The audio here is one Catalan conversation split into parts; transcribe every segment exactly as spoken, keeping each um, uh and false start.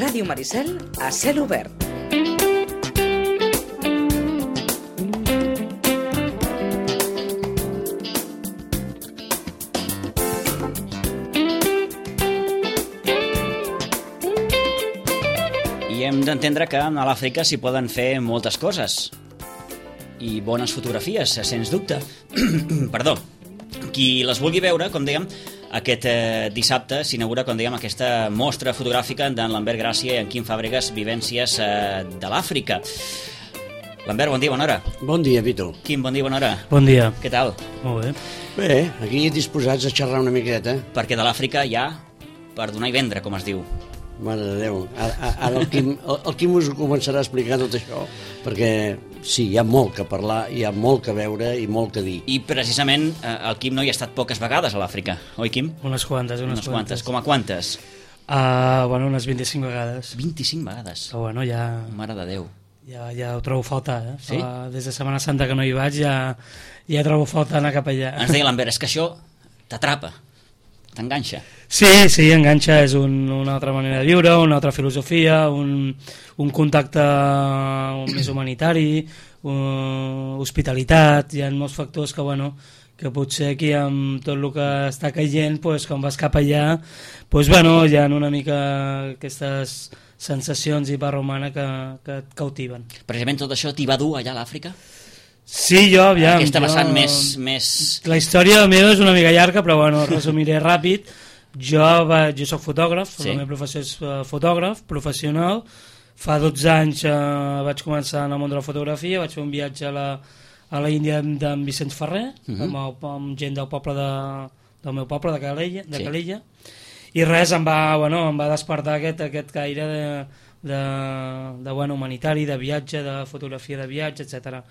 Ràdio Maricel a cel obert. I hem d'entendre que a l'Àfrica s'hi poden fer moltes coses i bones fotografies, sens dubte. Perdó. Qui les vulgui veure, com dèiem, aquest eh, dissabte s'inaugura, com dèiem, aquesta mostra fotogràfica d'en Lambert Gràcia i en Quim Fàbregas, Vivències eh, de l'Àfrica. Lambert, bon dia, bona hora. Bon dia, Vito. Quim, bon dia, bona hora. Bon dia. Què tal? Molt bé. Bé, aquí disposats a xerrar una miqueta. Perquè de l'Àfrica hi ha per donar i vendre, com es diu. Mare de Déu. Ara, ara el, Quim, el, el Quim us començarà a explicar tot això, perquè sí, hi ha molt que parlar, hi ha molt que veure i molt que dir. I precisament eh, el Quim no hi ha estat poques vegades a l'Àfrica, oi, Quim? Unes quantes, unes, Unes quantes. quantes. Com a quantes? Uh, bueno, unes vint-i-cinc vegades. vint-i-cinc vegades. Però bueno, ja, Mare de Déu. ja, ja ho trobo faltar, eh? Sí? Uh, des de Setmana Santa que no hi vaig ja, ja trobo faltar anar cap allà. Ens deia l'Ambert, és que això t'atrapa, t'enganxa. Sí, sí, enganxa, és un, una altra manera de viure, una altra filosofia, un, un contacte més humanitari, uh, hospitalitat, hi ha molts factors que, bueno, que potser aquí amb tot el que està caient, pues, quan vas cap allà, pues, bueno, hi ha una mica aquestes sensacions i barra humana que, que et cautiven. Precisament tot això t'hi va dur allà a l'Àfrica? Sí, jo, aviam... Aquesta jo, vessant més, més... La història meva és una mica llarga, però bueno, resumiré ràpid. Jo, va, jo soc fotògraf, Sí. La meva professió és uh, fotògraf professional. Fa dotze anys uh, vaig començar en el món de la fotografia, vaig fer un viatge a la, a la Índia d'en Vicenç Ferrer, uh -huh. amb, el, amb gent del poble de, del meu poble, de Calella, de Sí. Calella. I res, em va, bueno, em va despertar aquest, aquest caire de, de, de bueno, humanitari, de viatge, de fotografia de viatge, etcètera.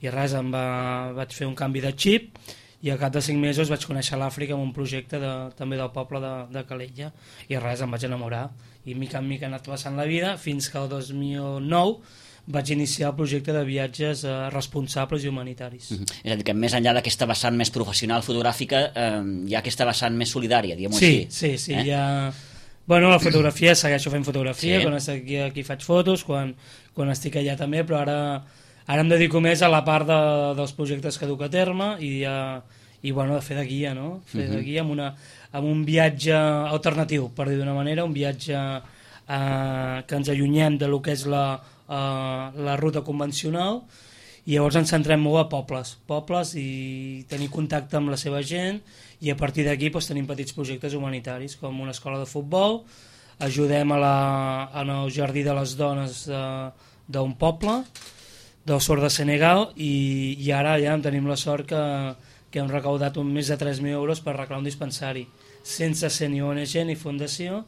I res, em va, vaig fer un canvi de xip i al cap de cinc mesos vaig conèixer l'Àfrica amb un projecte de, també del poble de, de Calella i res, em vaig enamorar i mica en mica he anat passant la vida fins que el dos mil nou vaig iniciar el projecte de viatges eh, responsables i humanitaris. Uh -huh. És a dir, que més enllà d'aquesta vessant més professional fotogràfica eh, hi ha aquesta vessant més solidària, diguem-ho Sí, així. sí, sí, eh? hi ha... Bueno, la fotografia, segueixo fent fotografia, Sí. quan estic aquí, aquí faig fotos, quan, quan estic allà també, però ara, ara em dedico més a la part de, dels projectes que duc a terme i, a, i bueno, de fer de guia, no? Fer uh -huh. de guia amb, una, amb un viatge alternatiu, per dir d'una manera, un viatge eh, que ens allunyem de lo que és la, eh, la ruta convencional i llavors ens centrem molt a pobles, pobles i tenir contacte amb la seva gent i a partir d'aquí doncs, tenim petits projectes humanitaris com una escola de futbol, ajudem a la, en el jardí de les dones d'un poble, del sud de Senegal i, i ara ja tenim la sort que, que hem recaudat un, més de tres mil euros per arreglar un dispensari, sense ser ni O N G ni fundació,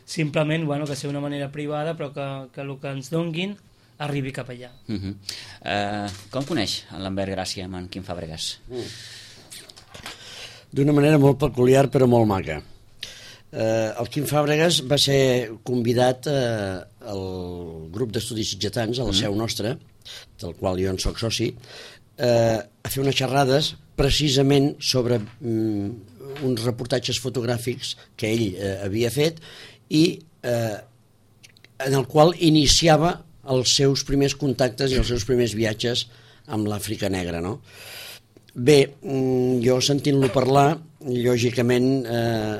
simplement bueno, que sigui una manera privada però que, que el que ens donguin arribi cap allà. Uh -huh. uh, com coneix en Lambert Gràcia amb en Quim Fàbregas? Mm. D'una manera molt peculiar però molt maca. Eh, el Quim Fàbregas va ser convidat eh, al grup d'estudis sitgetans a la seu nostra, del qual jo en soc soci, eh, a fer unes xerrades precisament sobre mm, uns reportatges fotogràfics que ell eh, havia fet i eh, en el qual iniciava els seus primers contactes i els seus primers viatges amb l'Àfrica negra, no? Bé, jo sentint-lo parlar, lògicament eh,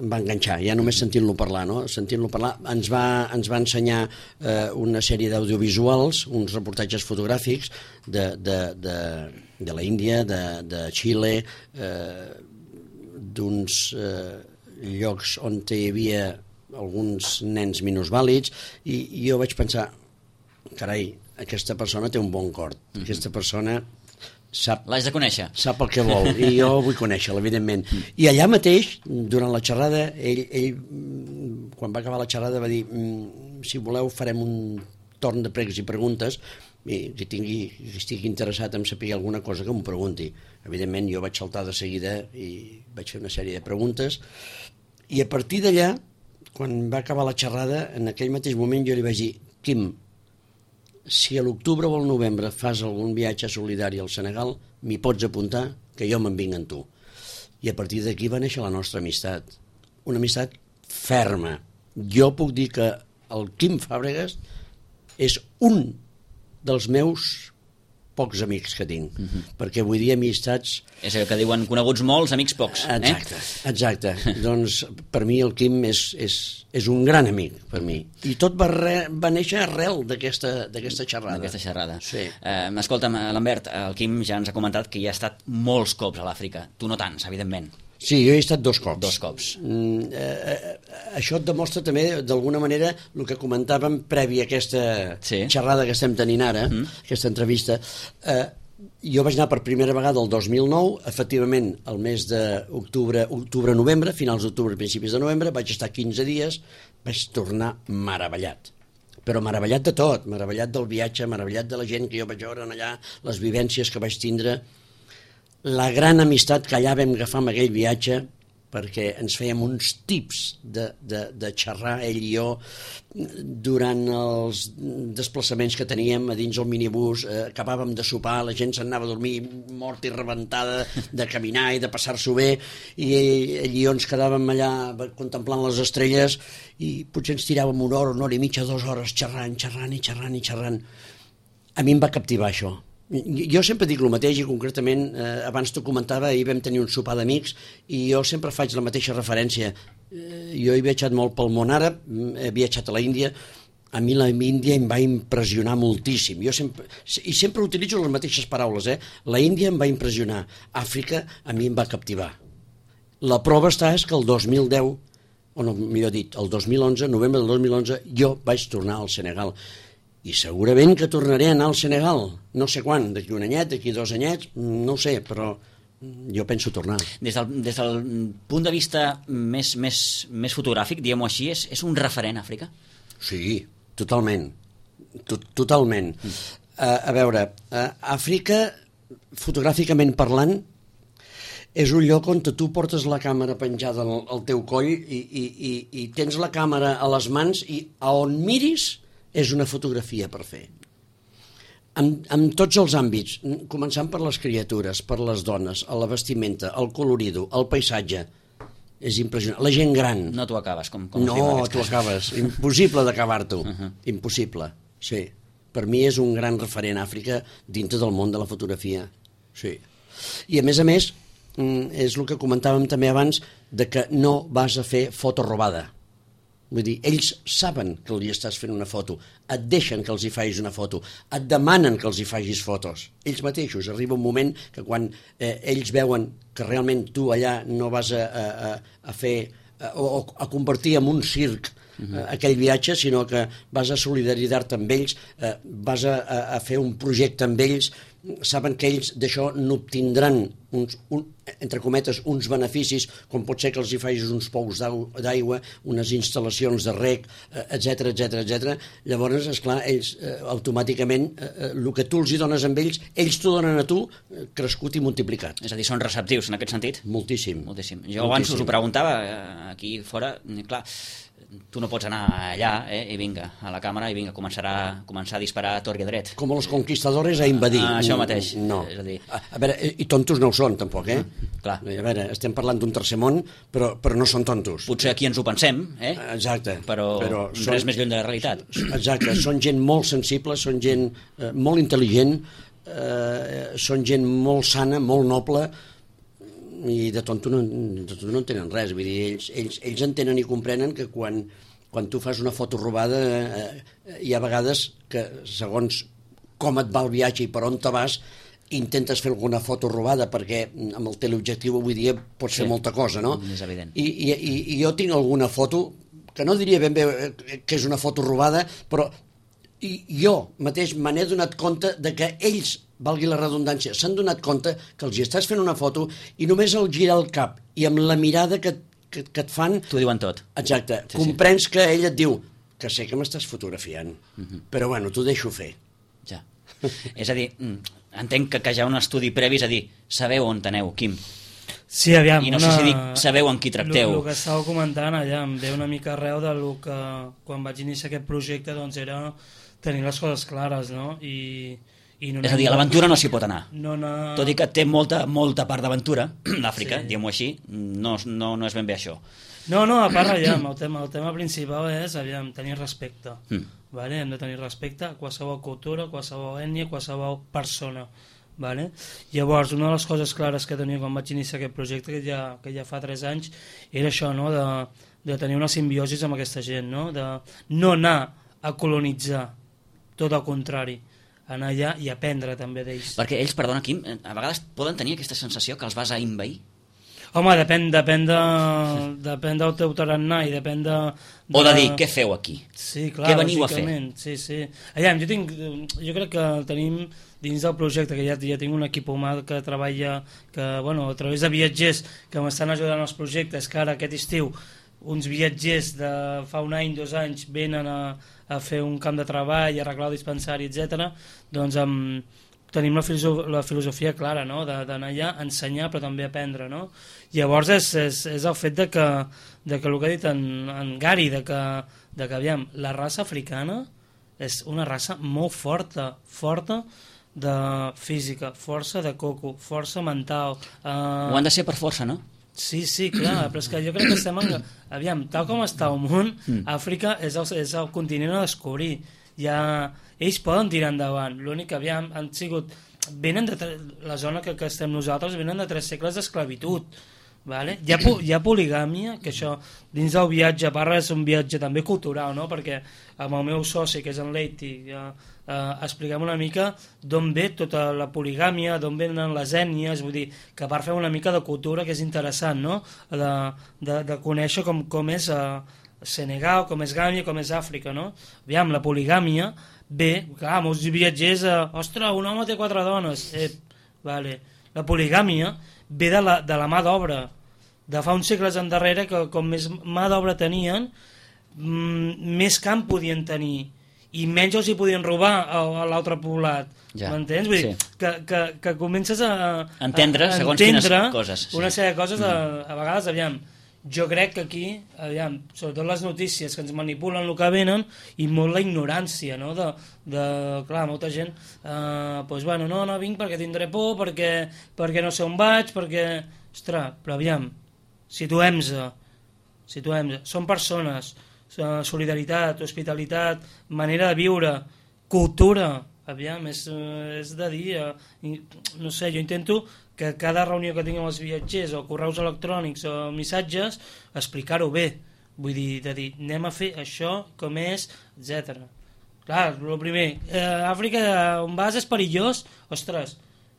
em va enganxar, ja només sentint-lo parlar, no? Sentint-lo parlar ens va, ens va ensenyar eh, una sèrie d'audiovisuals, uns reportatges fotogràfics de, de, de, de la Índia, de, de Xile, eh, d'uns eh, llocs on hi havia alguns nens minusvàlids i, i jo vaig pensar, carai, aquesta persona té un bon cor, mm-hmm. aquesta persona sap, l'has de conèixer, sap el que vol i jo vull conèixer-la, evidentment. I allà mateix, durant la xerrada, ell, ell quan va acabar la xerrada va dir si voleu farem un torn de pregs i preguntes i qui tingui, qui estigui interessat en saber alguna cosa que m'ho pregunti. Evidentment jo vaig saltar de seguida i vaig fer una sèrie de preguntes i a partir d'allà, quan va acabar la xerrada, en aquell mateix moment jo li vaig dir, Quim, si a l'octubre o al novembre fas algun viatge solidari al Senegal, m'hi pots apuntar que jo me'n vinc amb tu. I a partir d'aquí va néixer la nostra amistat. Una amistat ferma. Jo puc dir que el Quim Fàbregas és un dels meus pocs amics que tinc, uh-huh. perquè vull dir amistats... És el que diuen coneguts molts, amics pocs. Exacte, eh? exacte. Doncs per mi el Quim és, és, és un gran amic, per mi. I tot va, re, va néixer arrel d'aquesta xerrada. D'aquesta xerrada. Sí. Eh, escolta'm, Lambert, el Quim ja ens ha comentat que hi ha estat molts cops a l'Àfrica. Tu no tants, evidentment. Sí, jo he estat dos cops. Dos cops. Mm, eh, eh, això et demostra també, d'alguna manera, el que comentàvem previ a aquesta sí. xerrada que estem tenint ara, mm. aquesta entrevista. Eh, jo vaig anar per primera vegada el dos mil nou, efectivament, el mes d'octubre, octubre-novembre, finals d'octubre, principis de novembre, vaig estar quinze dies, vaig tornar meravellat. Però meravellat de tot, meravellat del viatge, meravellat de la gent que jo vaig veure allà, les vivències que vaig tindre, la gran amistat que allà vam agafar amb aquell viatge, perquè ens fèiem uns tips de, de, de xerrar, ell i jo, durant els desplaçaments que teníem a dins el minibús, eh, acabàvem de sopar, la gent s'anava a dormir morta i rebentada de caminar i de passar-s'ho bé, i ell, ell i jo ens quedàvem allà contemplant les estrelles i potser ens tiràvem una hora, una hora i mitja, dues hores xerrant, xerrant i xerrant i xerrant. A mi em va captivar això. Jo sempre dic el mateix i concretament eh, abans t'ho comentava, ahir vam tenir un sopar d'amics i jo sempre faig la mateixa referència. Eh, jo he viatjat molt pel món àrab, he viatjat a la Índia, a mi la Índia em va impressionar moltíssim. Jo sempre, i sempre utilitzo les mateixes paraules, eh? La Índia em va impressionar, Àfrica a mi em va captivar. La prova està és que el dos mil deu, o no, millor dit, el dos mil onze, novembre del dos mil onze, jo vaig tornar al Senegal. I segurament que tornaré a anar al Senegal, no sé quan, d'aquí un anyet, d'aquí dos anyets, no ho sé, però jo penso tornar. Des del, des del punt de vista més, més, més fotogràfic, diguem-ho així, és, és un referent Àfrica? Sí, totalment, Tot, totalment. Mm. Uh, a veure, uh, Àfrica, fotogràficament parlant, és un lloc on tu portes la càmera penjada al, al teu coll i, i, i, i tens la càmera a les mans i a on miris és una fotografia per fer. En, en tots els àmbits, començant per les criatures, per les dones, a la vestimenta, el colorido, el paisatge, és impressionant. La gent gran. No t'ho acabes, com, com no, t'ho acabes. Impossible d'acabar-t'ho. Uh -huh. Impossible, sí. Per mi és un gran referent a Àfrica dintre del món de la fotografia. Sí. I a més a més, és el que comentàvem també abans, de que no vas a fer foto robada. Vull dir, ells saben que li estàs fent una foto, et deixen que els hi facis una foto, et demanen que els hi facis fotos. Ells mateixos, arriba un moment que quan eh, ells veuen que realment tu allà no vas a, a, a fer a, o a convertir en un circ uh-huh. aquell viatge, sinó que vas a solidaritzar-te amb ells, eh, vas a, a, a fer un projecte amb ells, saben que ells d'això n'obtindran uns, un, entre cometes, uns beneficis, com pot ser que els hi facis uns pous d'aigua, unes instal·lacions de rec, etcètera, etcètera, etcètera. Llavors, esclar, ells eh, automàticament, eh, el que tu els hi dones amb ells, ells t'ho donen a tu, eh, crescut i multiplicat. És a dir, són receptius en aquest sentit? Moltíssim. Moltíssim. Jo abans us ho preguntava, aquí fora, clar, tu no pots anar allà eh, i vinga, a la càmera i vinga, començar a, començar a disparar a tort i a dret. Com els conquistadores a invadir. Ah, això mateix. No. És a dir... A, a veure, i tontos no ho són, tampoc, eh? Mm, clar. A veure, estem parlant d'un tercer món, però, però no són tontos. Potser aquí ens ho pensem, eh? Exacte. Però, però res són, més lluny de la realitat. Exacte, són gent molt sensible, són gent eh, molt intel·ligent, eh, són gent molt sana, molt noble, i de tonto no, de tonto no en tenen res. Vull dir, ells, ells, ells entenen i comprenen que quan, quan tu fas una foto robada eh, hi ha vegades que segons com et va el viatge i per on te vas intentes fer alguna foto robada perquè amb el teleobjectiu avui dia pots fer sí, molta cosa, no? És evident. I, i, i, i jo tinc alguna foto que no diria ben bé que és una foto robada, però i jo mateix me n'he donat compte de que ells, valgui la redundància, s'han donat compte que els hi estàs fent una foto i només al girar el cap i amb la mirada que, que, que et fan... T'ho diuen tot. Exacte. Sí, comprens sí. que ell et diu que sé que m'estàs fotografiant, uh-huh. però bueno, t'ho deixo fer. Ja. És a dir, entenc que, que hi ha un estudi previ, és a dir, sabeu on aneu, Quim. Sí, aviam. I no una... sé si dic, sabeu amb qui tracteu. El que estàveu comentant allà em ve una mica arreu del que quan vaig iniciar aquest projecte doncs era tenir les coses clares, no? I, i no és a dir, a l'aventura no s'hi pot anar. No anar... Tot i que té molta, molta part d'aventura, l'Àfrica, sí. diguem-ho així, no, no, no és ben bé això. No, no, a part, aviam, el tema, el tema principal és, aviam, tenir respecte. Mm. Vale? Hem de tenir respecte a qualsevol cultura, qualsevol ètnia, qualsevol persona. Vale? Llavors, una de les coses clares que tenia quan vaig iniciar aquest projecte, que ja, que ja fa tres anys, era això, no? de, de tenir una simbiosi amb aquesta gent, no? De no anar a colonitzar, tot al contrari, anar allà i aprendre també d'ells. Perquè ells, perdona Quim, a vegades poden tenir aquesta sensació que els vas a invair? Home, depèn, depèn, de, depèn del teu tarannà i depèn de, de... O de dir, què feu aquí? Sí, clar, què veniu a fer? Sí, sí. Allà, jo, tinc, jo crec que tenim dins del projecte, que ja, ja tinc un equip humà que treballa, que, bueno, a través de viatgers que m'estan ajudant als projectes, que ara aquest estiu uns viatgers de fa un any, dos anys, venen a, a fer un camp de treball, a arreglar el dispensari, etcètera. Doncs amb... tenim la, filosof la filosofia clara, no? D'anar allà a ensenyar però també aprendre, no? Llavors és, és, és el fet de que, de que el que ha dit en, en Gary, de que, de que aviam, la raça africana és una raça molt forta, forta de física, força de coco, força mental. Uh... Ho han de ser per força, no? Sí, sí, clar, però és que jo crec que estem en... Aviam, tal com està el món, mm. Àfrica és el, és el continent a descobrir. Ja, ells poden tirar endavant, l'únic que aviam, han sigut, venen de la zona que, que estem nosaltres, venen de tres segles d'esclavitud, vale? Hi ha, hi ha poligàmia, que això dins del viatge, a part és un viatge també cultural, no? Perquè amb el meu soci, que és en Leiti, ja, eh, expliquem una mica d'on ve tota la poligàmia, d'on venen les ètnies, vull dir, que a part fem una mica de cultura que és interessant, no? De, de, de conèixer com, com és... Eh, Senegal, com és Gàmbia, com és Àfrica, no? Aviam, la poligàmia ve, clar, molts viatgers, eh, ostres, un home té quatre dones, eh, vale. La poligàmia ve de la, de la mà d'obra, de fa uns segles endarrere, que com més mà d'obra tenien, mmm, més camp podien tenir, i menys els hi podien robar a, a l'altre poblat. Ja, m'entens? Vull dir, sí. que, que, que comences a... Entendre, a, a segons entendre quines coses. Sí. Una sèrie de coses, mm. a, a vegades, aviam, jo crec que aquí, aviam, sobretot les notícies que ens manipulen el que venen i molt la ignorància, no? De, de clar, molta gent, eh, doncs, bueno, no, no vinc perquè tindré por, perquè, perquè no sé on vaig, perquè... Ostres, però aviam, situem-se, situem-se, són persones, solidaritat, hospitalitat, manera de viure, cultura, aviam, és, és de dir, eh, no sé, jo intento que cada reunió que tinc amb els viatgers o correus electrònics o missatges, explicar-ho bé, vull dir, de dir, anem a fer això, com és, etcètera. Clar, el primer, eh, Àfrica, on vas és perillós, ostres,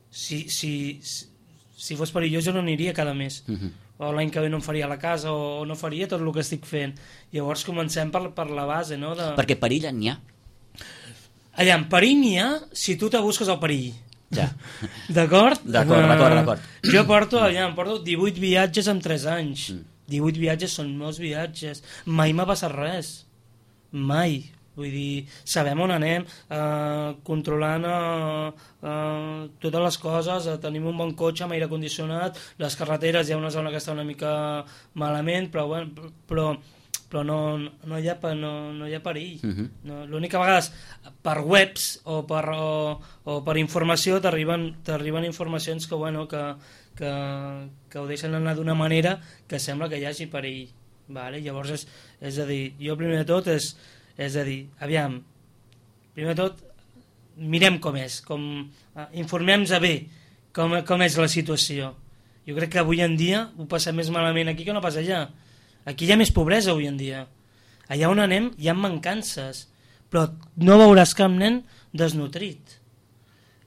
si, si, si, si fos perillós jo no aniria cada mes, uh-huh. o l'any que ve no em faria la casa, o, o no faria tot el que estic fent. Llavors comencem per, per la base, no? De... Perquè perill n'hi ha. Allà, en perill n'hi ha si tu te busques el perill. Ja. D'acord? D'acord, d'acord, d'acord. Jo porto, allà, em porto divuit viatges en tres anys. Mm. divuit viatges són molts viatges. Mai m'ha passat res. Mai. Vull dir, sabem on anem, eh, controlant eh, eh, totes les coses, eh, tenim un bon cotxe amb aire condicionat, les carreteres hi ha una zona que està una mica malament, però, bueno, però, però no, no, hi ha, no, no hi ha perill. Uh-huh. No, l'únic que a vegades per webs o per, o, o per informació t'arriben t'arriben informacions que, bueno, que, que, que ho deixen anar d'una manera que sembla que hi hagi perill. Vale? Llavors, és, és a dir, jo primer de tot és, és a dir, aviam, primer de tot mirem com és, com, eh, informem-nos bé com, com és la situació. Jo crec que avui en dia ho passem més malament aquí que no pas allà. Aquí hi ha més pobresa avui en dia. Allà on anem hi ha mancances, però no veuràs cap nen desnutrit.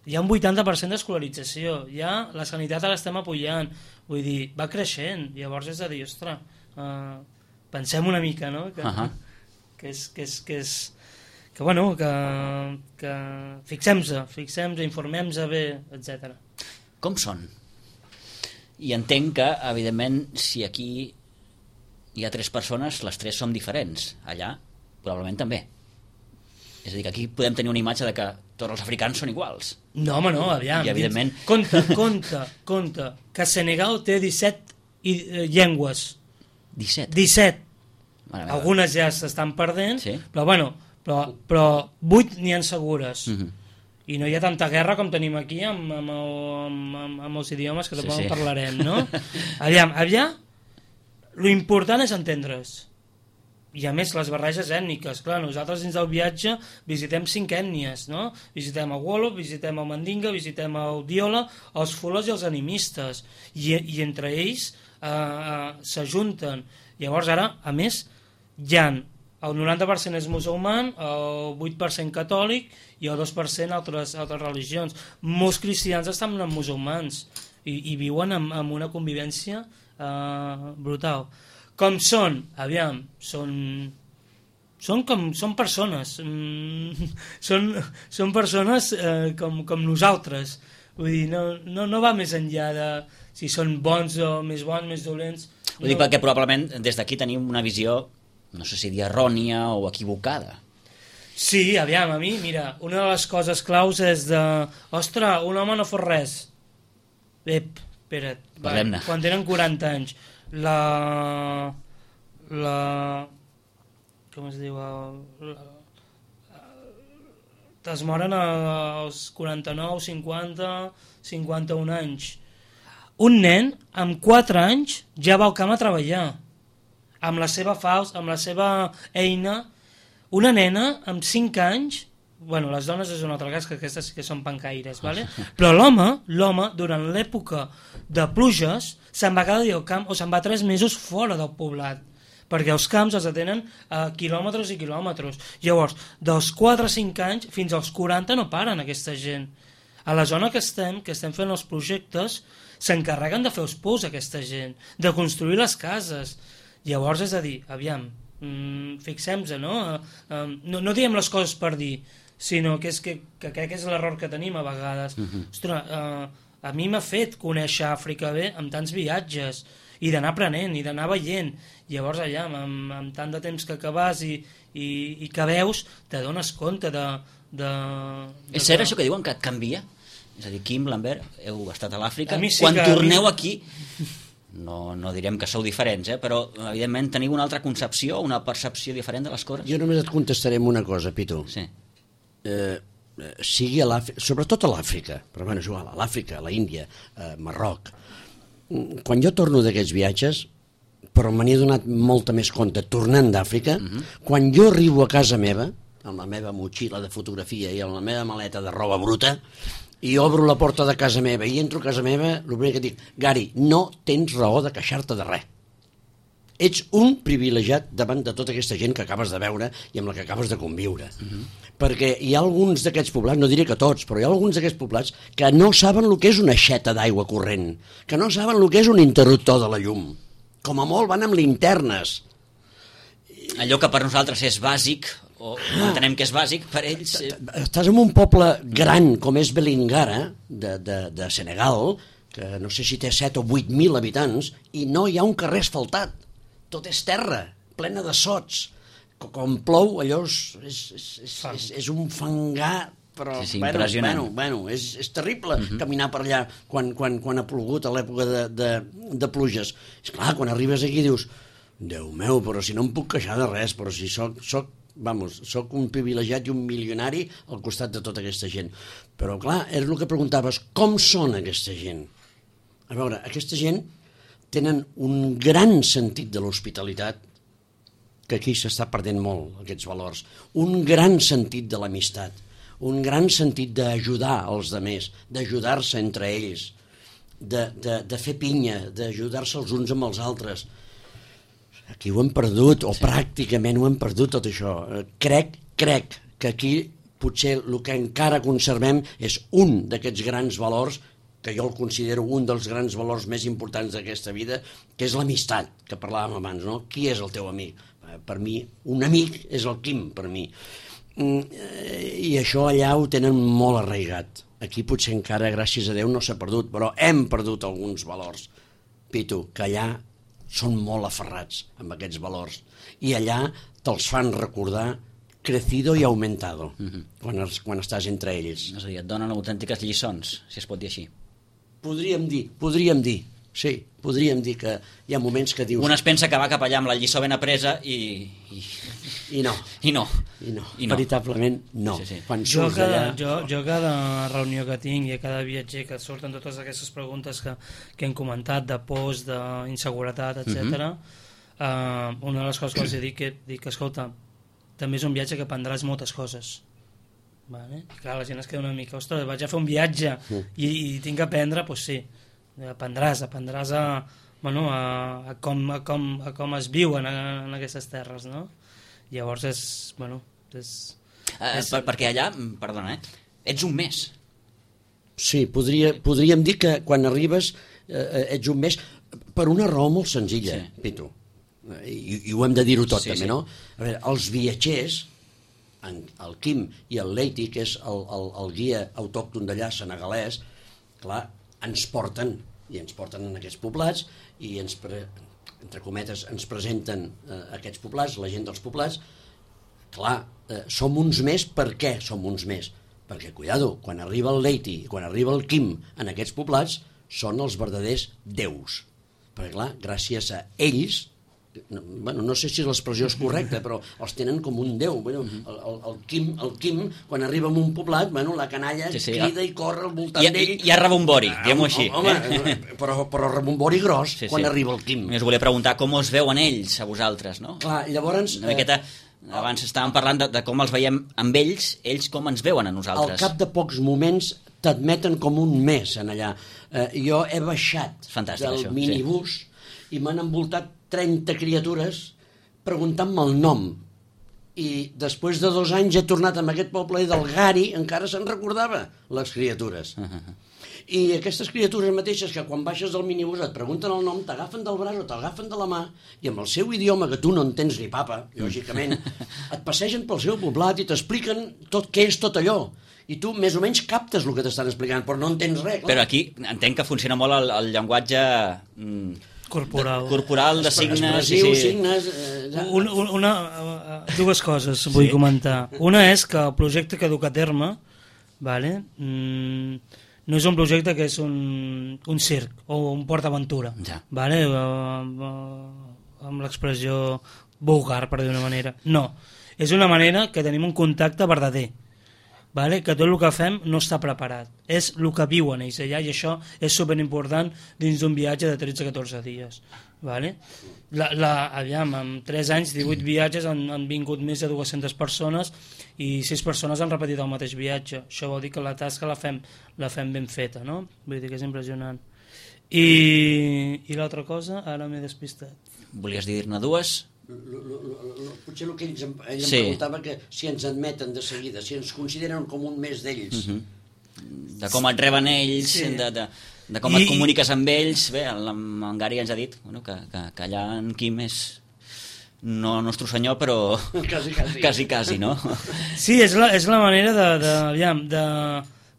Hi ha un vuitanta per cent d'escolarització, ja la sanitat ara l'estem apujant, vull dir, va creixent, llavors és a dir, ostres, uh, pensem una mica, no? Que, uh-huh. que és... Que és, que és que, bueno, que, que fixem-se, fixem-se, informem-se bé, etcètera. Com són? I entenc que, evidentment, si aquí hi ha tres persones, les tres som diferents. Allà, probablement també. És a dir, que aquí podem tenir una imatge de que tots els africans són iguals. No, home, no, aviam. I, evidentment... Compte, compte, compte, que Senegal té disset i, eh, llengües. disset? disset. Algunes ja s'estan perdent, sí? però, bueno, però, però vuit n'hi ha segures. Uh-huh. I no hi ha tanta guerra com tenim aquí amb, amb, amb, amb, amb els idiomes que tampoc sí, sí. parlarem, no? Aviam, aviam, Lo important és entendre's. I a més les barreges ètniques, clar, nosaltres dins del viatge visitem cinc ètnies, no? Visitem a Wolof, visitem a Mandinga, visitem a Odiola, els Fulas i els animistes, i, i entre ells eh, eh, s'ajunten. Llavors ara, a més, hi ha el noranta per cent és musulman, el vuit per cent catòlic i el dos per cent altres, altres religions. Molts cristians estan amb musulmans i, i viuen amb, amb una convivència eh, brutal. Com són? Aviam, són... Són com són persones. Mm, són, són persones eh, com, com nosaltres. Vull dir, no, no, no va més enllà de si són bons o més bons, més dolents. Ho dic perquè probablement des d'aquí tenim una visió, no sé si dir errònia o equivocada. Sí, aviam, a mi, mira, una de les coses claus és de... Ostres, un home no fot res. Ep, espera't. Parlem-ne. Quan tenen quaranta anys. La... La... Com es diu? La, es moren als quaranta-nou, cinquanta, cinquanta-un anys. Un nen amb quatre anys ja va al camp a treballar. Amb la seva faus, amb la seva eina. Una nena amb cinc anys, bueno, les dones és un altre cas, que aquestes sí que són pancaires, vale? Però l'home, l'home, durant l'època de pluges, se'n va cada dia al camp o se'n va tres mesos fora del poblat, perquè els camps els atenen a quilòmetres i quilòmetres. Llavors, dels quatre a cinc anys fins als quaranta no paren aquesta gent. A la zona que estem, que estem fent els projectes, s'encarreguen de fer els pous aquesta gent, de construir les cases. Llavors, és a dir, aviam, mmm, fixem-nos, no? Uh, no? No diem les coses per dir, sinó que, és que, que crec que és l'error que tenim a vegades. Uh-huh. Ostres, uh, a mi m'ha fet conèixer Àfrica bé amb tants viatges, i d'anar aprenent, i d'anar veient. Llavors allà, amb, amb tant de temps que acabes i, i, i que veus, te dones compte de... de, de és cert que... això que diuen que et canvia? És a dir, Quim, Lambert, heu estat a l'Àfrica, sí quan torneu mi... aquí... No, no direm que sou diferents, eh? Però evidentment teniu una altra concepció, una percepció diferent de les coses. Jo només et contestaré amb una cosa, Pitu. Sí. Eh, sigui a l'Àfrica, sobretot a l'Àfrica, però bueno, és igual, a l'Àfrica, a l'Índia, a Marroc. Quan jo torno d'aquests viatges, però me n'he donat molta més compte tornant d'Àfrica, uh-huh. Quan jo arribo a casa meva, amb la meva motxilla de fotografia i amb la meva maleta de roba bruta, i obro la porta de casa meva i entro a casa meva, el primer que dic, Gary, no tens raó de queixar-te de res. Ets un privilegiat davant de tota aquesta gent que acabes de veure i amb la que acabes de conviure. Uh-huh. Perquè hi ha alguns d'aquests poblats, no diré que tots, però hi ha alguns d'aquests poblats que no saben el que és una aixeta d'aigua corrent, que no saben el que és un interruptor de la llum. Com a molt van amb linternes. Allò que per nosaltres és bàsic, o entenem que és bàsic, per ells... Estàs en un poble gran com és Belingara, de, de, de Senegal, que no sé si té set o vuit mil habitants, i no hi ha un carrer asfaltat. Tot és terra, plena de sots. Com plou, allò és, és, és, és, és un fangar, però sí, sí, bueno, impressionant. bueno, bueno, és, és terrible uh-huh. caminar per allà quan, quan, quan ha plogut a l'època de, de, de pluges. És clar, quan arribes aquí dius, Déu meu, però si no em puc queixar de res, però si soc, soc vamos, soc un privilegiat i un milionari al costat de tota aquesta gent. Però clar, és el que preguntaves, com són aquesta gent? A veure, aquesta gent tenen un gran sentit de l'hospitalitat, que aquí s'està perdent molt, aquests valors, un gran sentit de l'amistat, un gran sentit d'ajudar els altres, d'ajudar-se entre ells, de, de, de fer pinya, d'ajudar-se els uns amb els altres. Aquí ho hem perdut, o sí. Pràcticament ho hem perdut tot això. Crec, crec que aquí potser el que encara conservem és un d'aquests grans valors, que jo el considero un dels grans valors més importants d'aquesta vida, que és l'amistat, que parlàvem abans, no? Qui és el teu amic? Per mi, un amic és el Quim, per mi. I això allà ho tenen molt arraigat. Aquí potser encara, gràcies a Déu, no s'ha perdut, però hem perdut alguns valors. Pitu, que allà són molt aferrats amb aquests valors i allà te'ls fan recordar crecido i aumentado uh-huh. quan, es, quan estàs entre ells. És a dir, et donen autèntiques lliçons, si es pot dir així. Podríem dir, podríem dir, sí, podríem dir que hi ha moments que dius... Un es pensa que va cap allà amb la lliçó ben apresa i... I, I no. I no. I no. I no. Veritablement no. Sí, sí. Quan jo, surts cada, allà... jo, jo cada reunió que tinc i a cada viatger que surten totes aquestes preguntes que, que hem comentat, de pors, d'inseguretat, etcètera. Uh-huh. uh, una de les coses que els dic, que, dic, escolta, també és un viatge que aprendràs moltes coses. Vale? I clar, la gent es queda una mica, ostres, vaig a fer un viatge i, i tinc que aprendre, doncs sí, aprendràs, aprendràs a, bueno, a, a, com, a, com, a com es viuen en, en aquestes terres, no? Llavors és, bueno, és... Uh, és... Per, perquè allà, perdona, eh, ets un mes. Sí, podria, podríem dir que quan arribes eh, ets un mes per una raó molt senzilla, sí. Pitu, I, i ho hem de dir-ho tot sí, també, sí. No? A veure, els viatgers, en, el Quim i el Leiti, que és el, el, el guia autòcton d'allà, senegalès, clar, ens porten, i ens porten en aquests poblats, i ens, pre, entre cometes, ens presenten eh, aquests poblats, la gent dels poblats. Clar, eh, som uns més, per què som uns més? Perquè, cuidado, quan arriba el Leiti i quan arriba el Quim en aquests poblats, són els verdaders déus. Perquè, clar, gràcies a ells, no, bueno, no sé si l'expressió és correcta, però els tenen com un déu. Bueno, el, el, el, Quim, el Quim, quan arriba a un poblat, bueno, la canalla sí, sí, crida ja. I corre al voltant d'ell. Hi ha rebombori, diguem-ho així. Home, eh? però, però rebombori gros sí, quan sí. Arriba el Quim. Us volia preguntar com us veuen ells, a vosaltres, no? Clar, llavors... Una miqueta... Abans estàvem parlant de, de com els veiem amb ells, ells com ens veuen a nosaltres. Al cap de pocs moments t'admeten com un mes en allà. Eh, jo he baixat fantàstic, del això, minibús sí. I m'han envoltat trenta criatures preguntant-me el nom. I després de dos anys he tornat amb aquest poble i del Gari encara se'n recordava les criatures. Uh -huh. I aquestes criatures mateixes que quan baixes del minibús et pregunten el nom, t'agafen del braç o t'agafen de la mà i amb el seu idioma, que tu no entens ni papa, lògicament, et passegen pel seu poblat i t'expliquen tot què és tot allò. I tu més o menys captes el que t'estan explicant, però no entens res. Clar. Però aquí entenc que funciona molt el, el llenguatge... Mm, corporal. De, corporal, de signes... Expressiu, sí. signes... Eh, ja. una, una, uh, dues coses vull sí. comentar. Una és que el projecte que duc a terme, vale, mm, no és un projecte que és un, un circ o un PortAventura, ja. Vale? Amb l'expressió vulgar, per dir una manera. No, és una manera que tenim un contacte verdader, vale? Que tot el que fem no està preparat, és el que viuen ells allà, i això és superimportant dins d'un viatge de tretze a catorze dies. Vale? La, la, aviam, en tres anys, divuit viatges, han, han vingut més de dues-centes persones i sis persones han repetit el mateix viatge. Això vol dir que la tasca la fem, la fem ben feta, no? Vull dir que és impressionant. I, i l'altra cosa, ara m'he despistat. Volies dir-ne dues? L, l, l, l, potser el que ells em, ell sí. em preguntava que si ens admeten de seguida, si ens consideren com un més d'ells. Uh-huh. De com et reben ells, sí. de, de, de com I... et comuniques amb ells. Bé, el, en Gary ens ha dit bueno, que, que, que allà en Quim és no nostre senyor, però quasi, quasi. quasi, quasi, no? Sí, és la, és la manera de, de, aviam, de,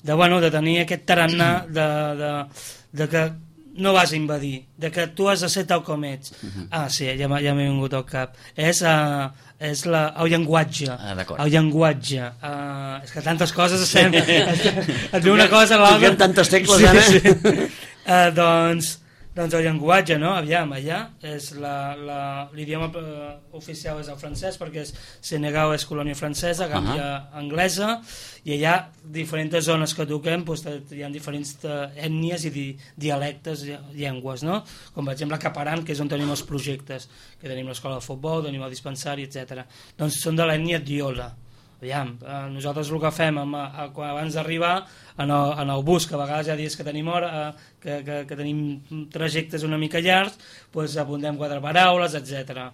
de, bueno, de tenir aquest tarannà de, de, de que no vas a invadir, de que tu has de ser tal com ets. Uh-huh. Ah, sí, ja, ja m'he vingut al cap. És, uh, és la, el llenguatge. Ah, el llenguatge. Uh, és que tantes coses estem... et ve una cosa a l'altra. Toquem tantes tecles, sí, ara. Sí. Uh, doncs, doncs el llenguatge, no? Aviam, allà és l'idioma uh, oficial és el francès, perquè és, Senegal és colònia francesa, Gàmbia uh-huh. anglesa, i allà diferents zones que toquem doncs, hi ha diferents ètnies i di, dialectes, llengües, no? Com per exemple Caparan, que és on tenim els projectes, que tenim l'escola de futbol, tenim el dispensari, etcètera. Doncs són de l'ètnia Diola. Aviam, eh, nosaltres el que fem amb, a, a, abans d'arribar en, en el bus, que a vegades hi ha dies que tenim hora, eh, que, que, que tenim trajectes una mica llargs, doncs apuntem quatre paraules, etcètera.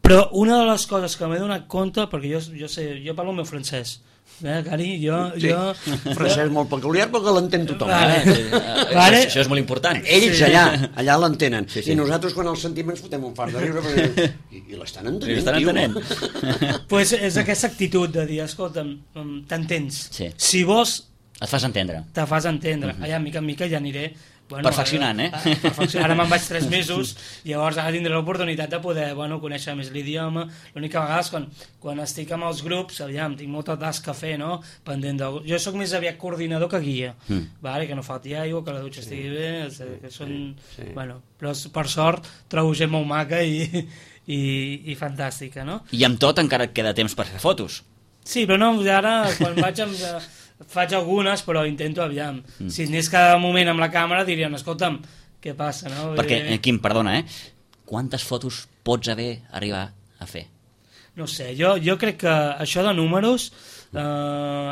Però una de les coses que m'he donat compte, perquè jo, jo, sé, jo parlo el meu francès, eh, Gary, jo... Sí, jo francès molt peculiar, però que l'entén tothom. Vale. Eh? Sí, vale. Això, això és molt important. Ells sí. allà, allà l'entenen. Sí, sí. I nosaltres quan els sentim ens fotem un fart de riure, perquè... I, i l'estan entenent, l'estan entenent. Pues és aquesta actitud de dir, escolta'm, t'entens. Sí. Si vols... Et fas entendre. Te fas entendre. Uh-huh. Allà, mica en mica, ja aniré... Bueno, perfeccionant, eh? Ara, perfeccionant. Ara me'n vaig tres mesos, llavors ara tindré l'oportunitat de poder bueno, conèixer més l'idioma. L'única vegada és quan, quan estic amb els grups, aviam, tinc molta tasca a fer, no? Pendent de... Jo sóc més aviat coordinador que guia, mm. vale? Que no falti aigua, que la dutxa sí. estigui bé, que són... Sí. Sí. Bueno, però per sort trobo gent molt maca i, i, i fantàstica, no? I amb tot encara et queda temps per fer fotos. Sí, però no, ara quan vaig amb... faig algunes, però intento, aviam. Mm. Si anés cada moment amb la càmera, dirien, escolta'm, què passa, no? Perquè, eh, Quim, perdona, eh? quantes fotos pots haver arribar a fer? No sé, jo, jo crec que això de números, eh,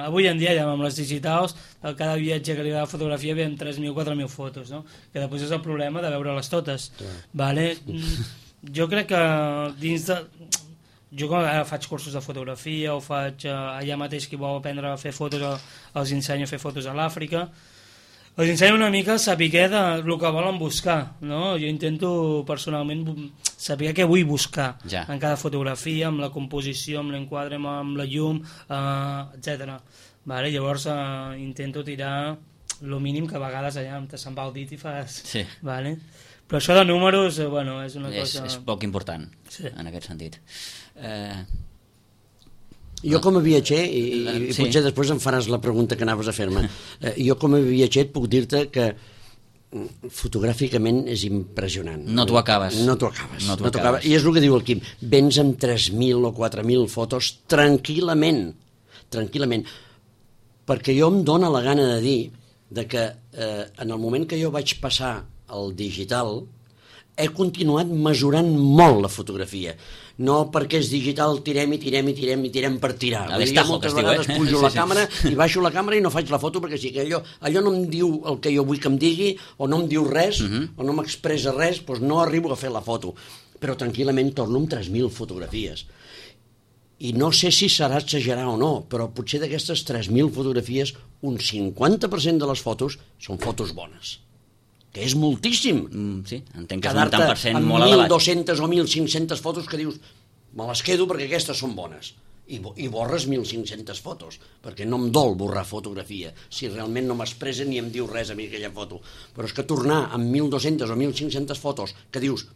avui en dia ja amb les digitals, a cada viatge que li va a fotografia veiem tres mil, quatre mil fotos, no? Que després és el problema de veure-les totes. Vale? Jo crec que dins de... Jo quan ara faig cursos de fotografia o faig eh, allà mateix qui vol aprendre a fer fotos, els ensenyo a fer fotos a l'Àfrica, els ensenyo una mica a saber de el que volen buscar, no? Jo intento personalment saber què vull buscar ja. En cada fotografia, amb la composició, amb l'enquadre, amb la llum, eh, etcètera. Vale? Llavors eh, intento tirar el mínim que a vegades allà te se'n va el dit i fas... Sí. Vale? Però això de números, eh, bueno, és una és, cosa... És poc important, sí. En aquest sentit. Eh... Jo com a viatger, i, i sí. potser després em faràs la pregunta que anaves a fer-me, eh, jo com a viatger et puc dir-te que fotogràficament és impressionant. No t'ho acabes. No t'ho acabes. No t'ho no acabes. I és el que diu el Quim, vens amb tres mil o quatre mil fotos tranquil·lament, tranquil·lament, perquè jo em dóna la gana de dir de que eh, en el moment que jo vaig passar al digital he continuat mesurant molt la fotografia. No perquè és digital tirem i tirem i tirem i tirem per tirar. A destajo, moltes que es diu, vegades eh? pujo Sí, la sí. càmera i baixo la càmera i no faig la foto perquè sí que allò, allò no em diu el que jo vull que em digui o no em diu res Uh-huh. o no m'expressa res, doncs no arribo a fer la foto. Però tranquil·lament torno amb tres mil fotografies. I no sé si serà exagerar o no, però potser d'aquestes tres mil fotografies un cinquanta per cent de les fotos són fotos bones. Que és moltíssim. Mm, sí, entenc que és un tant per cent molt amb elevat. mil dos-centes o mil cinc-centes fotos que dius me les quedo perquè aquestes són bones. I, i borres mil cinc-centes fotos, perquè no em dol borrar fotografia, si realment no m'expressa ni em diu res a mi aquella foto. Però és que tornar amb mil dos-centes o mil cinc-centes fotos que dius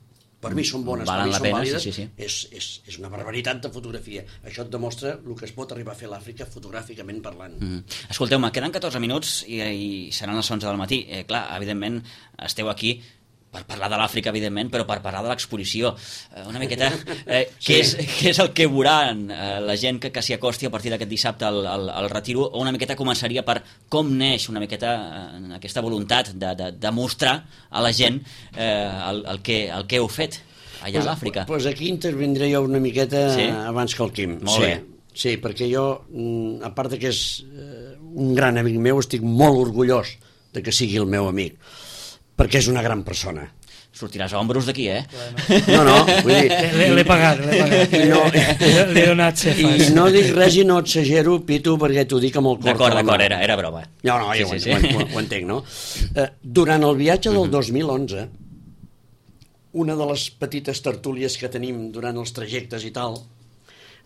per mi són bones, Valen per mi la són pena, vàlides, sí, sí, sí. És, és, és una barbaritat de fotografia. Això et demostra el que es pot arribar a fer a l'Àfrica fotogràficament parlant. Mm. Escolteu-me, queden catorze minuts i, i seran les onze del matí. Eh, clar, evidentment, esteu aquí per parlar de l'Àfrica, evidentment, però per parlar de l'exposició. Eh, una miqueta, eh, Sí. què, és, què és el que veuran eh, la gent que, que s'hi acosti a partir d'aquest dissabte al, al, al Retiro, o una miqueta començaria per com neix una miqueta eh, aquesta voluntat de, de, de mostrar a la gent eh, el, el, que, el que heu fet allà pues, a l'Àfrica. Doncs pues aquí intervindré jo una miqueta Sí? abans que el Quim. Molt sí, bé. Sí, perquè jo, mm, a part de que és eh, un gran amic meu, estic molt orgullós de que sigui el meu amic, perquè és una gran persona. Sortiràs a ombros d'aquí, eh? No, no, vull dir... L'he l'he pagat, l'he pagat. I no- L'he donat cefes. I no dic res i no exagero, Pitu, perquè t'ho dic amb el cor. D'acord, a la mà. d'acord, era, era broma. No, no, jo Sí, sí, sí, ho, sí. ho, ho entenc, no? Eh, durant el viatge del dos mil onze, una de les petites tertúlies que tenim durant els trajectes i tal,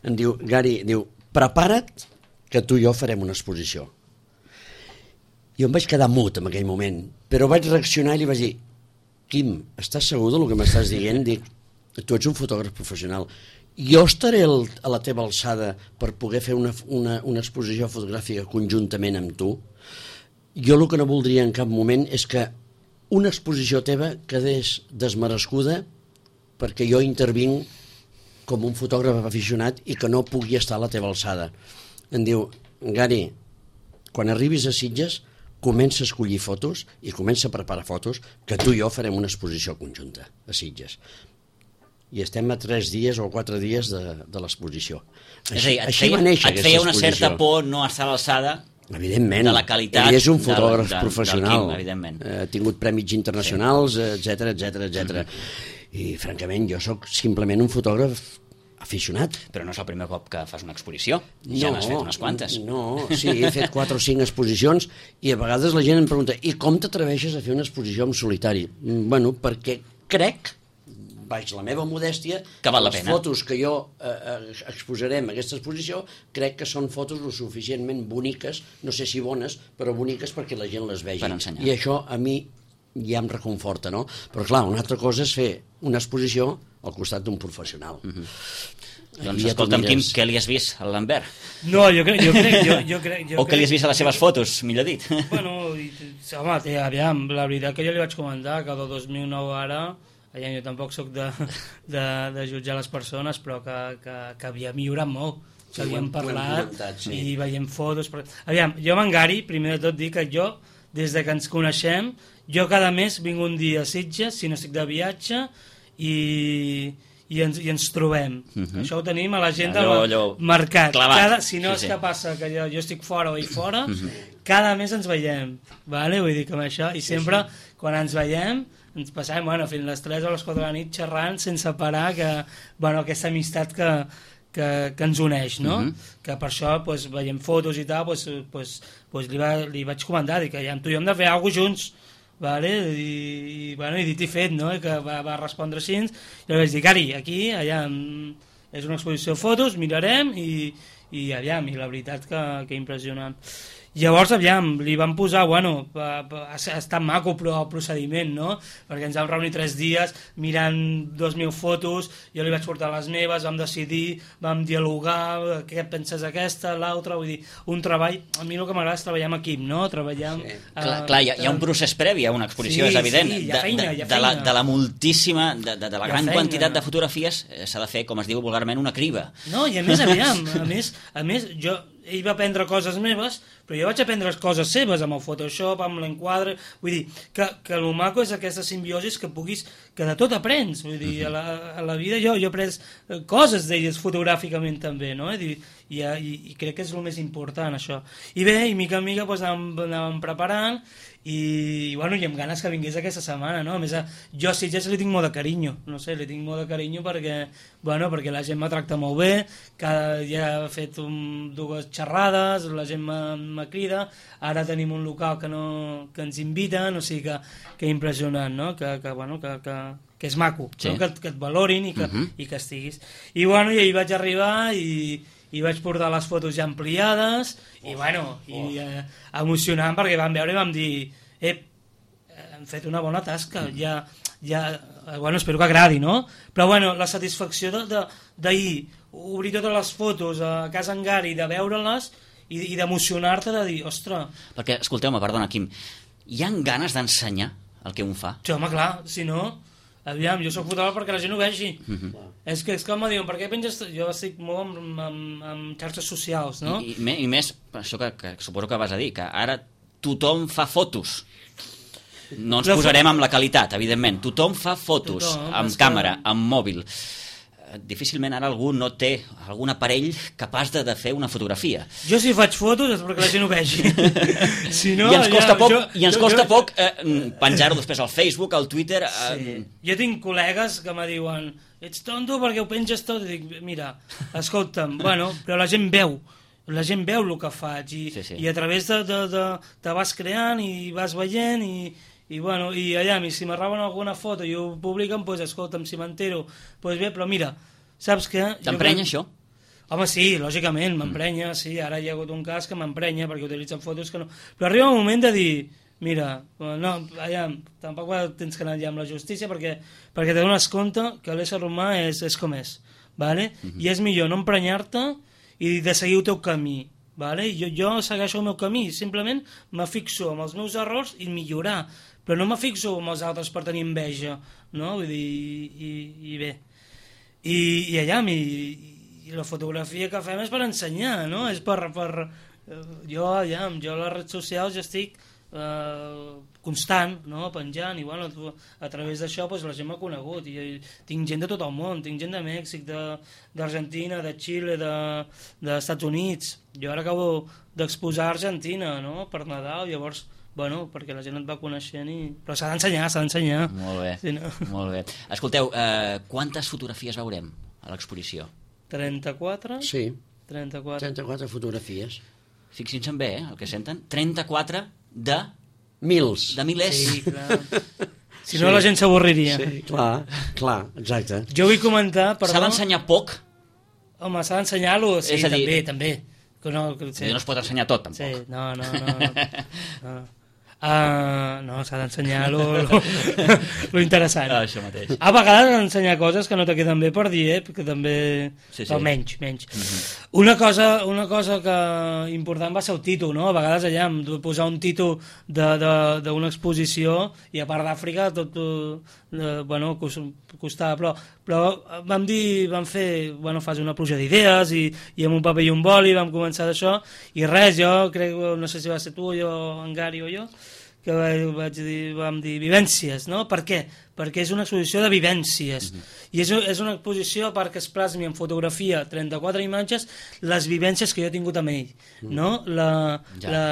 em diu, Gary, diu, prepara't que tu i jo farem una exposició. Jo em vaig quedar mut en aquell moment, però vaig reaccionar i li vaig dir, Quim, estàs segur del que m'estàs dient? Dic, tu ets un fotògraf professional. Jo estaré el, a la teva alçada per poder fer una, una, una exposició fotogràfica conjuntament amb tu? Jo el que no voldria en cap moment és que una exposició teva quedés desmerescuda perquè jo intervinc com un fotògraf aficionat i que no pugui estar a la teva alçada. Em diu, Gary, quan arribis a Sitges, comença a escollir fotos i comença a preparar fotos que tu i jo farem una exposició conjunta a Sitges. I estem a tres dies o quatre dies de, de l'exposició. És a dir, et Així feia, va néixer et aquesta feia una exposició. certa por no estar a l'alçada Evidentment. de la qualitat Ell és un del- fotògraf del- professional. del Quim, evidentment. Eh, Ha tingut prèmits internacionals, etcètera, etcètera, etcètera. I, francament, jo sóc simplement un fotògraf aficionat. però no és el primer cop que fas una exposició. Ja n'has fet unes quantes. No, sí, he fet quatre o cinc exposicions i a vegades la gent em pregunta i com t'atreveixes a fer una exposició en solitari? Mm, Bueno, perquè crec, baix la meva modèstia, Que val la les pena. fotos que jo eh, eh, exposarem en aquesta exposició crec que són fotos lo suficientment boniques, no sé si bones, però boniques perquè la gent les vegi. Per ensenyar. I això a mi ja em reconforta, no? Però clar, una altra cosa és fer una exposició al costat d'un professional. Mhm. Aquí Doncs ja escolta'm, tu Quim, mires. què li has vist al Lambert? No, jo crec, jo crec, jo, jo crec, jo O què li has crec- vist a les seves fotos, millor dit? Bueno, i, home, té, aviam, la veritat que jo li vaig comentar que del dos mil nou ara, aviam, jo tampoc sóc de, de, de jutjar les persones, però que, que, que havíem millorat molt, Sí, que ho hem- havíem ho hem parlat comentat, sí. i veiem fotos. Però... Aviam, jo amb en Gary, primer de tot dic que jo, des de que ens coneixem, jo cada mes vinc un dia a Sitges, si no estic de viatge, i, i, ens, i ens trobem. Uh-huh. Això ho tenim a l'agenda allò, allò marcat. Cada, si no sí, és sí. que passa que jo, jo estic fora o hi fora, uh-huh. cada mes ens veiem, vale? Vull dir que amb això, i sempre sí, sí. quan ens veiem ens passem bueno, fins les tres o les quatre de la nit xerrant sense parar, que, bueno, aquesta amistat que, que, que ens uneix, no? Uh-huh. Que per això pues, veiem fotos i tal, pues, pues, pues li, va, li vaig comentar, dic que ja, tu i jo hem de fer alguna cosa junts, vale? I, i, bueno, i dit i fet, no? I que va, va respondre així, i li vaig dir, Cari, aquí, allà, és una exposició de fotos, mirarem, i, i aviam, i la veritat que, que impressionant. Llavors, aviam, li van posar, bueno, pa, pa, ha estat maco però el procediment, no? Perquè ens vam reunir tres dies mirant dos mil fotos, jo li vaig portar les meves, vam decidir, vam dialogar, què penses aquesta, l'altra, vull dir, un treball, a mi el que m'agrada és treballar en equip, no? Treballar amb... Sí. Uh, clar, clar, hi ha, hi ha un procés previ a una exposició, sí, és evident. Sí, hi ha feina, hi ha feina. De, de, la, de la moltíssima, de, de, de la gran feina. quantitat de fotografies, s'ha de fer, com es diu vulgarment, una criba. No, i a més, aviam, a més, a més, jo... ell va aprendre coses meves, però jo vaig aprendre coses seves amb el Photoshop, amb l'enquadre, vull dir, que, que el maco és aquesta simbiosis que puguis, que de tot aprens, vull dir, a la, a la vida jo, jo he après coses d'elles fotogràficament també, no? I, i, i crec que és el més important això. I bé, i mica en mica doncs, anàvem, anàvem preparant, i, bueno, i amb ganes que vingués aquesta setmana, no? A més, jo a Sitges li tinc molt de carinyo, no sé, li tinc molt de carinyo perquè, bueno, perquè la gent me tracta molt bé, cada, ja he fet un, dues xerrades, la gent me crida, ara tenim un local que, no, que ens inviten, o sigui que, que impressionant, no? Que, que, bueno, que, que, que és maco, sí. No? que, que et valorin i que, uh-huh. i que estiguis. I, bueno, i ahir vaig arribar i... i vaig portar les fotos ja ampliades i oh, bueno, oh. i eh, emocionant perquè vam veure i vam dir eh, hem fet una bona tasca mm. ja, ja, bueno, espero que agradi, no? Però bueno, la satisfacció d'ahir, obrir totes les fotos a casa en Gary, de veure-les i, i d'emocionar-te de dir, ostres... Perquè, escolteu-me, perdona, Quim, hi ha ganes d'ensenyar el que un fa? Sí, home, clar, si no... Aviam, jo soc fotògraf perquè la gent ho vegi. Uh-huh. És que és com em diuen, per què penges... Jo estic molt amb, amb, amb xarxes socials, no? I, i, i més, això que, que suposo que vas a dir, que ara tothom fa fotos. No ens posarem amb la qualitat, evidentment. Tothom fa fotos, tothom, amb càmera, que... amb mòbil. Difícilment ara algú no té algun aparell capaç de, de fer una fotografia. Jo si faig fotos és perquè la gent ho vegi. Si no, I ens costa ja, poc, jo, i ens jo, costa jo, poc eh, penjar-ho després al Facebook, al Twitter... Eh... Sí. Jo tinc col·legues que me diuen ets tonto perquè ho penges tot. I dic, mira, escolta'm, bueno, però la gent veu. La gent veu el que faig i, sí, sí. i a través de, de, de... te vas creant i vas veient i... I, bueno, i allà, si m'arraben alguna foto i ho publiquen, doncs, escolta'm, si m'entero, doncs bé, però mira, saps què? T'emprenya això? Home, sí, lògicament, m'emprenya, sí, ara hi ha hagut un cas que m'emprenya perquè utilitzen fotos que no... Però arriba un moment de dir, mira, no, allà, tampoc tens que anar allà amb la justícia perquè, perquè te dones compte que l'ésser humà és, és com és, ¿vale? Uh-huh. I és millor no emprenyar-te i de seguir el teu camí, ¿vale? Jo, jo segueixo el meu camí, simplement me fixo amb els meus errors i millorar, però no me fixo amb els altres per tenir enveja, no? Vull dir, i, i, i bé. I, i allà, i, i la fotografia que fem és per ensenyar, no? És per... per jo, allà, jo a les redes socials ja estic eh, constant, no? Penjant, i bueno, a través d'això pues, la gent m'ha conegut, i, i tinc gent de tot el món, tinc gent de Mèxic, d'Argentina, de, de Xile, dels Estats Units. Jo ara acabo d'exposar a Argentina, no? Per Nadal, llavors... Bueno, perquè la gent et va coneixent i... Però s'ha d'ensenyar, s'ha d'ensenyar. Molt bé, sí, no? molt bé. Escolteu, eh, quantes fotografies veurem a l'exposició? trenta-quatre? Sí, trenta-quatre. trenta-quatre fotografies. Fixin-se bé, eh, el que senten. trenta-quatre de... Mils. De milers. Sí, clar. Si no, sí. La gent s'avorriria. Sí, clar, clar, exacte. Jo vull comentar... Perdó... S'ha d'ensenyar poc? Home, s'ha d'ensenyar-lo, sí, dir... també, també. Que no, que, sí. no es pot ensenyar tot, tampoc. Sí, no, no, no. no. no. Uh, no, s'ha d'ensenyar lo, lo, lo interessant. Ah, això mateix. A vegades ensenyar coses que no te queden bé per dir, eh? Perquè també... Sí, sí. Però menys, menys. Uh-huh. Una cosa, una cosa que important va ser el títol, no? A vegades allà hem de posar un títol d'una exposició i a part d'Àfrica tot, eh, bueno, costava, però, però vam dir, vam fer, bueno, fas una pluja d'idees i, i amb un paper i un boli vam començar d'això i res, jo crec, no sé si va ser tu, jo, en Gary o jo, que vaig dir, vam dir vivències, no? Per què? Perquè és una exposició de vivències. Mm-hmm. I és, és una exposició perquè es plasmi en fotografia, trenta-quatre imatges, les vivències que jo he tingut amb ell. Mm. No? La, ja. la,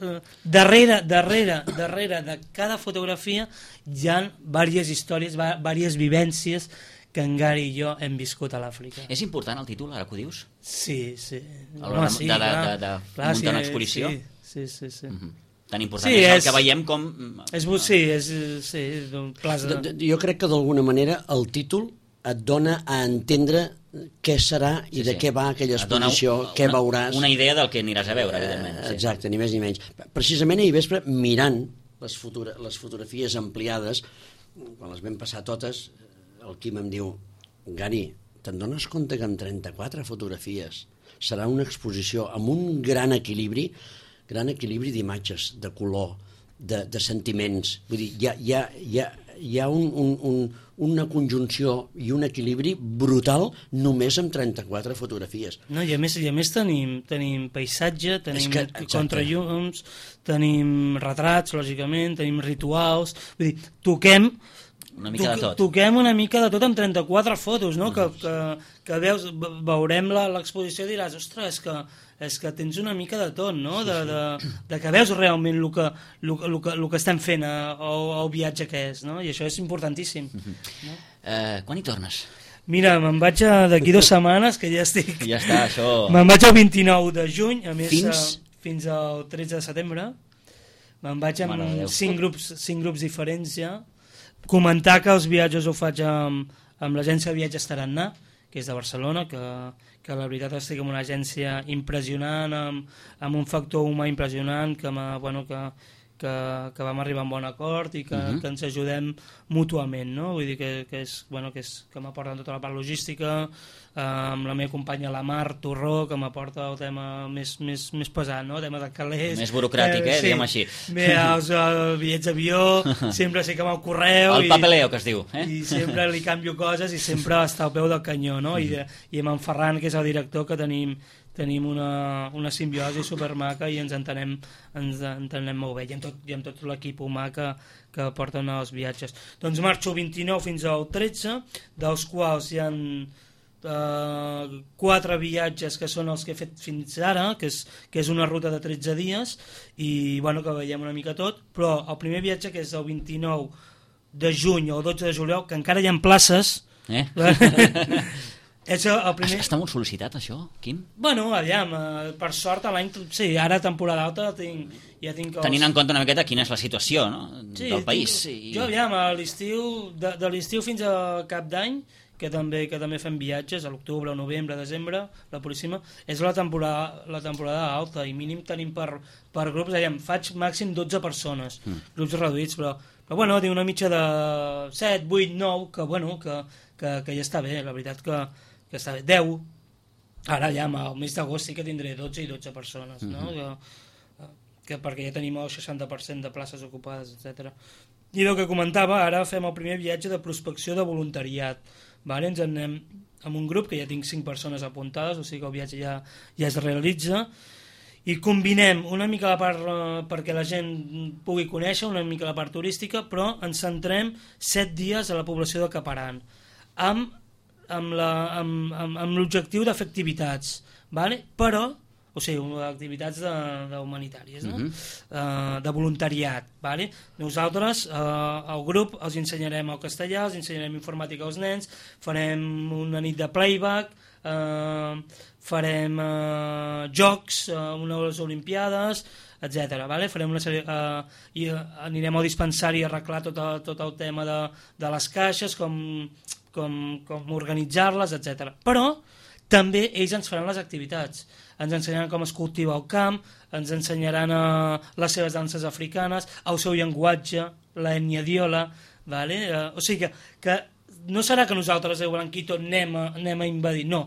la, darrere, darrere, darrere de cada fotografia hi ha diverses històries, diverses vivències que en Gary i jo hem viscut a l'Àfrica. És important el títol, ara que ho dius? Sí, sí. A l'hora de, sí, de, de, de, de clar, muntar sí, una exposició? Sí, sí, sí. sí. Mm-hmm. Tan important sí, és el és, que veiem com... És, sí, és, sí, plaça... de, de, jo crec que d'alguna manera el títol et dona a entendre què serà i sí, de sí. què va aquella exposició, una, què veuràs... Una idea del que aniràs a veure, evidentment. Sí. Exacte, ni més ni menys. Precisament ahir vespre, mirant les, fotogra les fotografies ampliades, quan les vam passar totes, el Quim em diu, Gary, te'n dones compte que amb trenta-quatre fotografies serà una exposició amb un gran equilibri, gran equilibri d'imatges, de color, de, de sentiments. Vull dir, hi ha, hi ha, hi ha, hi ha un, un, un, una conjunció i un equilibri brutal només amb trenta-quatre fotografies. No, i a més, i a més tenim, tenim paisatge, tenim que, contrallums, tenim retrats, lògicament, tenim rituals, vull dir, toquem una mica de tot. Toquem una mica de tot amb trenta-quatre fotos, no? Que, que, que veus, veurem l'exposició i diràs, ostres, és que, és que tens una mica de tot, no? De, de, de que veus realment el que, el, el que, el que estem fent al viatge que és, no? I això és importantíssim. Uh-huh. No? Uh, quan hi tornes? Mira, me'n vaig d'aquí dues setmanes, que ja estic... Ja està, això... Me'n vaig el vint-i-nou de juny, a més, fins, a, fins al tretze de setembre. Me'n vaig amb cinc grups, cinc grups diferents ja. Comentar que els viatges ho faig amb, amb l'agència de viatges Tarannà, que és de Barcelona, que, que la veritat estic en una agència impressionant, amb, amb un factor humà impressionant, que, bueno, que, que, que vam arribar a un bon acord i que, uh-huh. que ens ajudem mútuament, no? Vull dir que, que, és, bueno, que, és, que m'aporten tota la part logística, eh, amb la meva companya la Mar Torró, que m'aporta el tema més, més, més pesat, no? El tema de calés. Més burocràtic, eh? eh? Sí. Diguem així. Bé, els, els bitllets d'avió, sempre sé que amb el correu... El papeleo, que es diu. Eh? I sempre li canvio coses i sempre està al peu del canyó, no? I, de, i amb en Ferran, que és el director, que tenim... tenim una, una simbiosi supermaca i ens entenem, ens entenem molt bé, i amb tot, i amb tot l'equip humà que, que porten els viatges. Doncs marxo vint-i-nou fins al tretze, dels quals hi ha eh, quatre viatges que són els que he fet fins ara, que és, que és una ruta de tretze dies, i bueno, que veiem una mica tot, però el primer viatge, que és el vint-i-nou de juny o el dotze de juliol, que encara hi ha places... Eh? És el primer... Està molt sol·licitat, això, Quim? Bueno, aviam, per sort, l'any... Sí, ara temporada alta tinc, ja tinc... Els... Tenint en compte una miqueta quina és la situació, no?, sí, del país. Tinc... I... Jo, aviam, a l'estiu, de, de l'estiu fins a cap d'any, que també que també fem viatges, a l'octubre, novembre, desembre, la Puríssima, és la temporada, la temporada alta, i mínim tenim per, per grups, aviam, faig màxim dotze persones, mm. grups reduïts, però, però bueno, tinc una mitja de set, vuit, nou, que, bueno, que, que, que ja està bé, la veritat que... que està bé, deu, ara ja al mes d'agost sí que tindré dotze i dotze persones, no? Mm-hmm. que, que perquè ja tenim el seixanta per cent de places ocupades, etcètera. I el que comentava, ara fem el primer viatge de prospecció de voluntariat, vale? Ens en anem amb un grup que ja tinc cinc persones apuntades, o sigui que el viatge ja, ja es realitza, i combinem una mica la part eh, perquè la gent pugui conèixer, una mica la part turística, però ens centrem set dies a la població de Caparan, amb amb l'objectiu de fer activitats, vale? Però, o sigui, activitats de, de humanitàries, no? Uh-huh. uh, de voluntariat. Vale? Nosaltres, uh, el grup, els ensenyarem el castellà, els ensenyarem informàtica als nens, farem una nit de playback, uh, farem uh, jocs, uh, unes olimpiades, etcètera. Vale? Farem una sèrie, uh, i uh, anirem al dispensari a arreglar tot el, tot el tema de, de les caixes, com... com, com organitzar-les, etcètera. Però també ells ens faran les activitats. Ens ensenyaran com es cultiva el camp, ens ensenyaran uh, les seves danses africanes, el seu llenguatge, l'ètnia diola, vale? Uh, o sigui que, que no serà que nosaltres, el Blanquito, anem a, anem a invadir, no.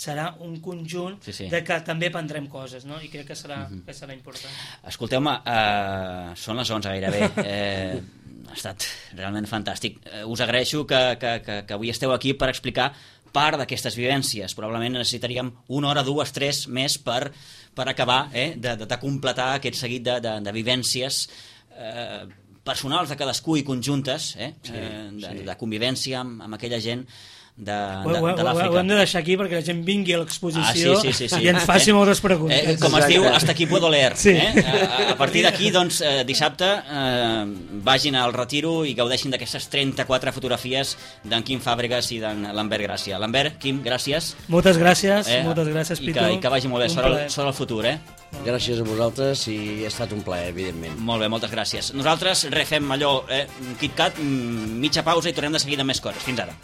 Serà un conjunt sí, sí. de que també aprendrem coses, no? I crec que serà, uh-huh. que serà important. Escolteu-me, uh, són les onze gairebé. Eh, ha estat realment fantàstic. Uh, us agraeixo que, que, que, que avui esteu aquí per explicar part d'aquestes vivències. Probablement necessitaríem una hora, dues, tres més per, per acabar eh, de, de, de completar aquest seguit de, de, de vivències eh, personals de cadascú i conjuntes, eh? Sí, eh, de, sí. de convivència amb, amb aquella gent de, de, Ho, ho, de l'Àfrica. ho hem de deixar aquí perquè la gent vingui a l'exposició Ah, sí, sí, sí, sí. i ens faci Eh, moltes preguntes. Eh, com es diu, hasta aquí puedo leer. Sí. Eh? A, a partir d'aquí, doncs, eh, dissabte eh, vagin al retiro i gaudeixin d'aquestes trenta-quatre fotografies d'en Quim Fàbregas i d'en Lambert Gràcia. Lambert, Quim, gràcies. Moltes gràcies, Eh? moltes gràcies, I Pitu. que, I que vagi molt bé, Un sort el, plaer. sort el futur, eh? Gràcies a vosaltres i ha estat un plaer, evidentment. Molt bé, moltes gràcies. Nosaltres refem allò, eh, KitKat, mitja pausa i tornem de seguida amb més coses. Fins ara.